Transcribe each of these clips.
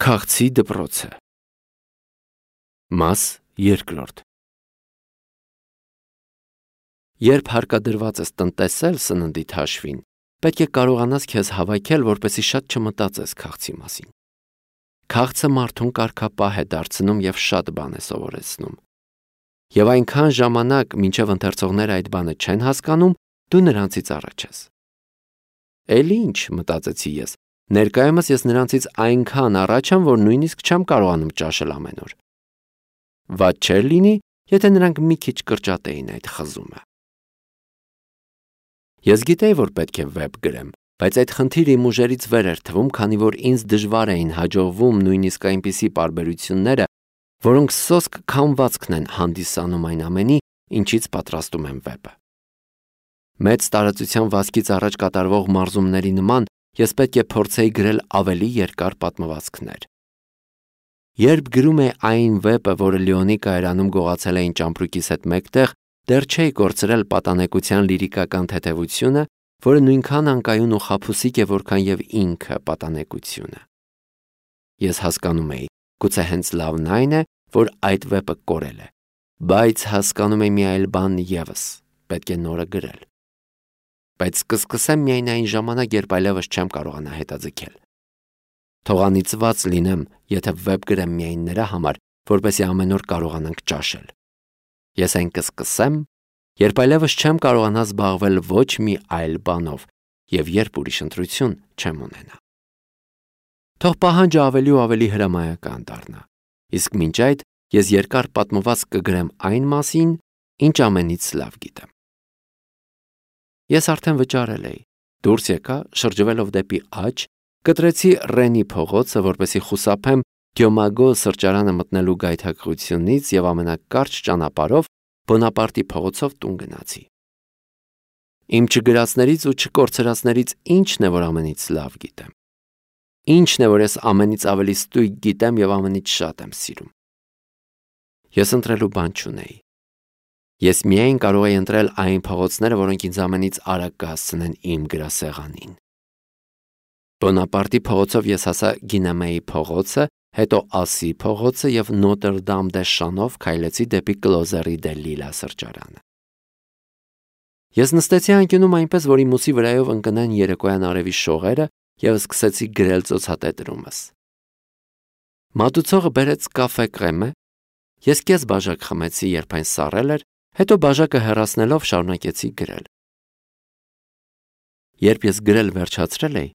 Քաղցի դպրոցը Մաս երկրորդ Երբ հարկադրված ես տնտեսել սննդիդ հաշվին, պետք է կարողանաս քեզ հավաքել, որպեսզի շատ չմտածես քաղցի մասին։ Քաղցը մարդուն կարգապահ է դարձնում և շատ բան է սովորեցնում։ Եվ այնքան ժամանակ, մինչև ընթերցողները այդ բանը չեն հասկանում, դու նրանցից առաջ ես։ Էլի ինչ, մտածեցի ես, ներկայումս ես նրանցից այնքան առաջ եմ, որ նույնիսկ չեմ կարողանում ճաշել ամեն օր։ Վատ չէր լինի, եթե նրանք մի քիչ կրճատեին այդ խզումը։ Ես գիտեի, որ պետք է վեպ գրեմ, բայց այդ խնդիրը իմ ուժերից վեր էր թվում, քանի որ ինձ դժվար էին հաջողվում նույնիսկ այնպիսի պարբերությունները, որոնք սոսկ քամվածքն են հանդիսանում այն ամենի, ինչից պատրաստում եմ վեպը։ Մեծ տարածության վազքից առաջ կատարվող մարզումների նման ես պետք է փորձեի գրել ավելի երկար պատմվածքներ։ Երբ գրում էի այն վեպը, որը Լեոնի կայարանում գողացել էին ճամպրուկիս հետ մեկտեղ, դեռ չէի կորցրել պատանեկության լիրիկական թեթևությունը, որը նույնքան անկայուն ու խաբուսիկ է, որքան և ինքը պատանեկությունը։ Ես հասկանում էի, գուցե հենց լավն այն է, որ այդ վեպը կորել է, բայց հասկանում էի մի այլ բան ևս, պետք է նորը գրել։ Բայց կսկսեմ միայն այն ժամանակ, երբ այլևս չեմ կարողանա հետաձգել։ Թող անիծված լինեմ, եթե վեպ գրեմ միայն նրա համար, որպեսզի ամեն օր կարողանանք ճաշել։ Ես այն կսկսեմ, երբ այլևս չեմ կարողանա զբաղվել ոչ մի այլ բանով և երբ ուրիշ ընտրություն չեմ ունենա։ Թող պահանջը ավելի ու ավելի հրամայական դառնա, իսկ մինչ այդ ես երկար պատմվածք կգրեմ այն մասին, ինչ ամենից լավ գիտեմ։ Ես արդեն վճարել էի, դուրս եկա, շրջվելով դեպի աջ, կտրեցի Ռենի փողոցը, որպեսզի խուսափեմ Գյոմագո սրճարանը մտնելու գայթակղությունից և ամենակարճ ճանապարհով Բոնապարտի փողոցով տուն գնացի։ Իմ չգրածներից ու չկորցրածներից ի՞նչն է, որ ամենից լավ գիտեմ։ Ի՞նչն է, որ ես ամենից ավելի ստույգ գիտեմ և ամենից շատ եմ սիրում։ Ես ընտրելու բան չունեի։ Ես միայն կարող էի ընտրել այն փողոցները, որոնք ինձ ամենից արագ կհասցնեն իմ գրասեղանին։ Բոնապարտի փողոցով ես հասա Գինեմեի փողոցը, հետո Ասի փողոցը և Նոտր Դամ դե Շանով քայլեցի դեպի Կլոզերի դե Լիլա սրճարանը։ Ես նստեցի անկյունում այնպես, որ իմ ուսի վրայով ընկնեն երեկոյան արևի շողերը և սկսեցի գրել ծոցատետրումս։ Մատուցողը բերեց կաֆե կրեմը, ես կես բաժակ խմեցի, երբ այն սառել էր, հետո բաժակը հեռացնելով շարունակեցի գրել։ Երբ ես գրել վերջացրել էի,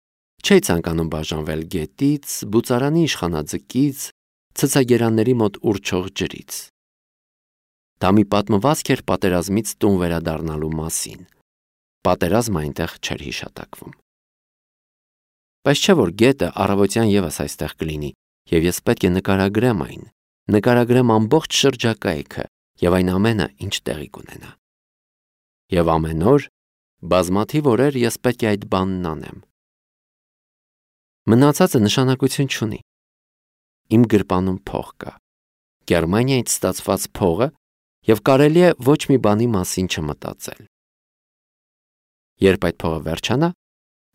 չէի ցանկանում բաժանվել գետից, բուծարանի իշխանաձկից, ցցագերանների մոտ ուռչող ջրից։ Դա մի պատմվածք էր պատերազմից տուն վերադառնալու մասին։ Պատերազմը այնտեղ չէր հիշատակվում։ Բայց չէ որ գետը առավոտյան ևս այստեղ կլինի, և ես պետք է նկարագրեմ այն, նկարագրեմ ամբողջ շրջակայքը և այն ամենը, ինչ տեղի կունենա։ Եվ ամեն օր, բազմաթիվ օրեր ես պետք է այդ բանն անեմ։ Մնացածը նշանակություն չունի։ Իմ գրպանում փող կա, Գերմանիայից ստացված փողը, և կարելի է ոչ մի բանի մասին չմտածել։ Երբ այդ փողը վերջանա,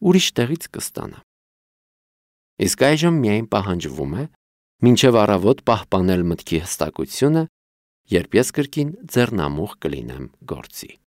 ուրիշ տեղից կստանամ։ Իսկ այժմ միայն պահանջվում է մինչև առավոտ պահպանել մտքի հստակությունը, երբ ես կրկին ձեռնամուխ կլինեմ գործի։